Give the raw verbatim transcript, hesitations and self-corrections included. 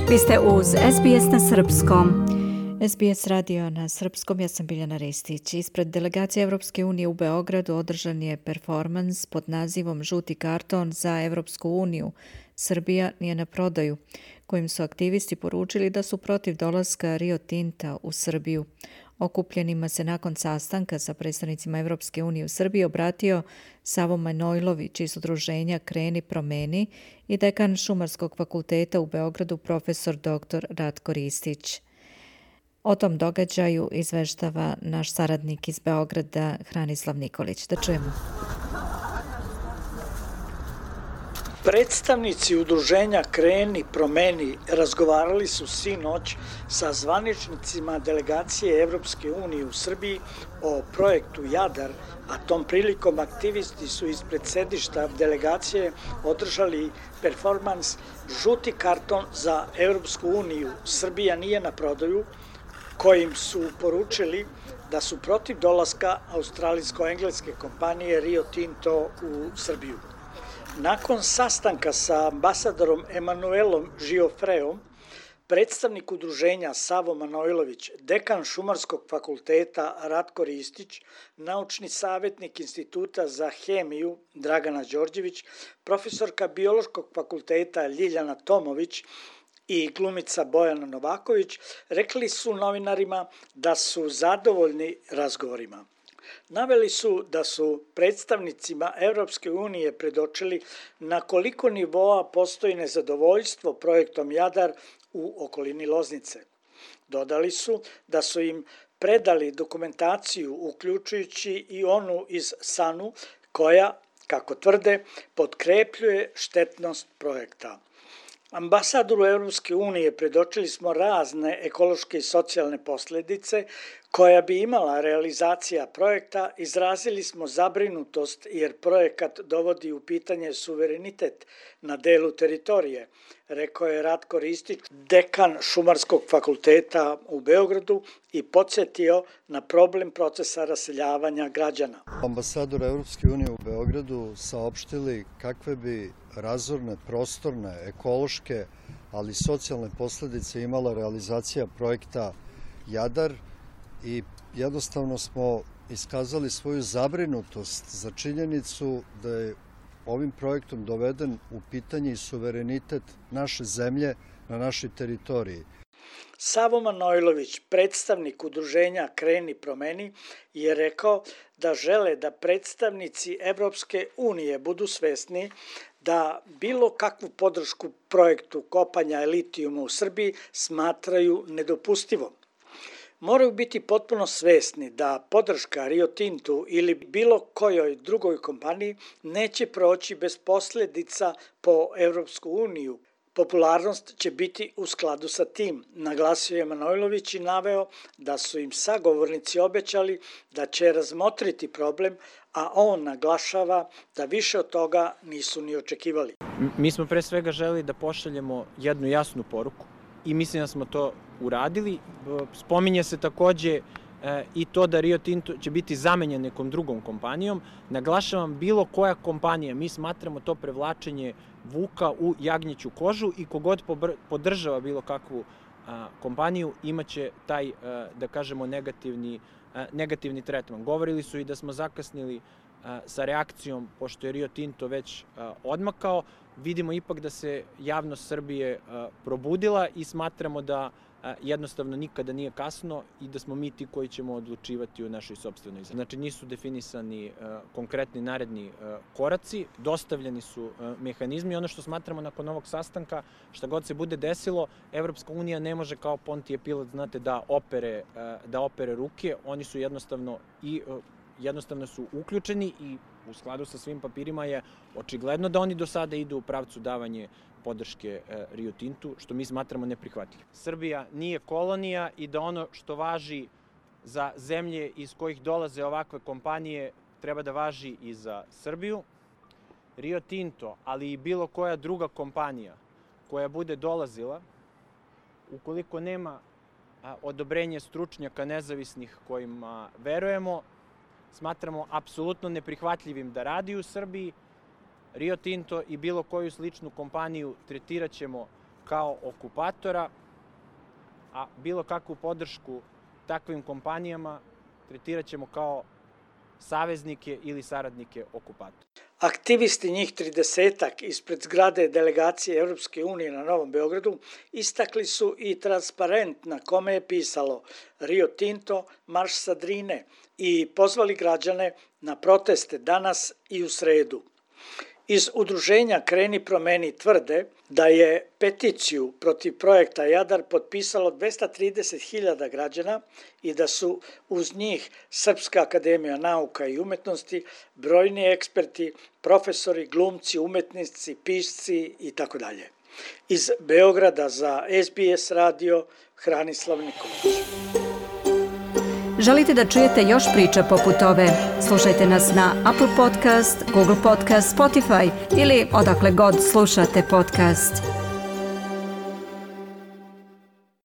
Vi ste uz S B S na srpskom. S B S radio na srpskom, ja sam Biljana Ristić. Ispred delegacije Evropske unije u Beogradu održan je performans pod nazivom Žuti karton za Evropsku uniju. Srbija nije na prodaju, kojim su aktivisti poručili da su protiv dolaska Rio Tinta u Srbiju. Okupljenima se nakon sastanka sa predstavnicima Evropske unije u Srbiji obratio Savo Manojlović iz udruženja Kreni promeni i dekan Šumarskog fakulteta u Beogradu profesor doktor Ratko Ristić. O tom događaju izveštava naš saradnik iz Beograda Hranislav Nikolić. Da čujemo. Predstavnici udruženja Kreni promeni razgovarali su sinoć sa zvaničnicima delegacije Evropske unije u Srbiji o projektu Jadar, a tom prilikom aktivisti su ispred sedišta delegacije održali performans Žuti karton za Evropsku uniju. Srbija nije na prodaju, kojim su poručili da su protiv dolaska australijsko-engleske kompanije Rio Tinto u Srbiju. Nakon sastanka sa ambasadorom Emanuelom Žiofreom, predstavnik udruženja Savo Manojlović, dekan Šumarskog fakulteta Ratko Ristić, naučni savjetnik Instituta za hemiju Dragana Đorđević, profesorka Biološkog fakulteta Ljiljana Tomović i glumica Bojana Novaković, rekli su novinarima da su zadovoljni razgovorima. Naveli su da su predstavnicima Evropske unije predočili na koliko nivoa postoji nezadovoljstvo projektom Jadar u okolini Loznice. Dodali su da su im predali dokumentaciju, uključujući i onu iz Sanu, koja, kako tvrde, potkrepljuje štetnost projekta. Ambasadoru Evropske unije predočili smo razne ekološke i socijalne posljedice koja bi imala realizacija projekta. Izrazili smo zabrinutost jer projekat dovodi u pitanje suverenitet na delu teritorije, rekao je Ratko Ristić, dekan Šumarskog fakulteta u Beogradu, i podsjetio na problem procesa raseljavanja građana. Ambasador Evropske unije u Beogradu saopštili kakve bi razorne, prostorne, ekološke, ali i socijalne posljedice imala realizacija projekta Jadar i jednostavno smo iskazali svoju zabrinutost za činjenicu da je ovim projektom doveden u pitanje i suverenitet naše zemlje na našoj teritoriji. Savo Manojlović, predstavnik udruženja Kreni promeni, je rekao da žele da predstavnici Evropske unije budu svesni da bilo kakvu podršku projektu kopanja litijuma u Srbiji smatraju nedopustivom. Moraju biti potpuno svesni da podrška Rio Tintu ili bilo kojoj drugoj kompaniji neće proći bez posljedica po Evropsku uniju. Popularnost će biti u skladu sa tim, naglasio je Manojlović i naveo da su im sagovornici obećali da će razmotriti problem, a on naglašava da više od toga nisu ni očekivali. Mi smo pre svega želeli da pošaljemo jednu jasnu poruku i mislim da smo to uradili. Spominje se takođe i to da Rio Tinto će biti zamenjen nekom drugom kompanijom. Naglašavam, bilo koja kompanija, mi smatramo to prevlačenje vuka u jagnjeću kožu i kogod podržava bilo kakvu kompaniju imaće taj, da kažemo, negativni, negativni tretman. Govorili su i da smo zakasnili sa reakcijom, pošto je Rio Tinto već odmakao. Vidimo ipak da se javnost Srbije probudila i smatramo da jednostavno nikada nije kasno i da smo mi ti koji ćemo odlučivati o našoj sopstvenoj zemlji. Znači, nisu definisani konkretni naredni koraci, dostavljeni su mehanizmi. Ono što smatramo nakon ovog sastanka, šta god se bude desilo, Evropska unija ne može kao Pontije Pilat, znate, da opere, da opere ruke. Oni su jednostavno i jednostavno su uključeni i u skladu sa svim papirima je očigledno da oni do sada idu u pravcu davanje podrške Rio Tintu, što mi smatramo neprihvatljivo. Srbija nije kolonija i da ono što važi za zemlje iz kojih dolaze ovakve kompanije treba da važi i za Srbiju. Rio Tinto, ali i bilo koja druga kompanija koja bude dolazila, ukoliko nema odobrenje stručnjaka nezavisnih kojima verujemo, smatramo apsolutno neprihvatljivim da radi u Srbiji. Rio Tinto i bilo koju sličnu kompaniju tretirat ćemo kao okupatora, a bilo kakvu podršku takvim kompanijama tretirat ćemo kao saveznike ili saradnike okupatora. Aktivisti, njih tridesetak ispred zgrade delegacije Evropske unije na Novom Beogradu, istakli su i transparent na kome je pisalo Rio Tinto, marš sa Drine i pozvali građane na proteste danas i u sredu. Iz udruženja Kreni promeni tvrde da je peticiju protiv projekta Jadar potpisalo dvesta trideset hiljada građana i da su uz njih Srpska akademija nauka i umetnosti, brojni eksperti, profesori, glumci, umetnici, pisci i tako dalje. Iz Beograda za S B S radio, Hranislav Nikolić. Želite da čujete još priča poput ove? Slušajte nas na Apple Podcast, Google Podcast, Spotify ili odakle god slušate podcast.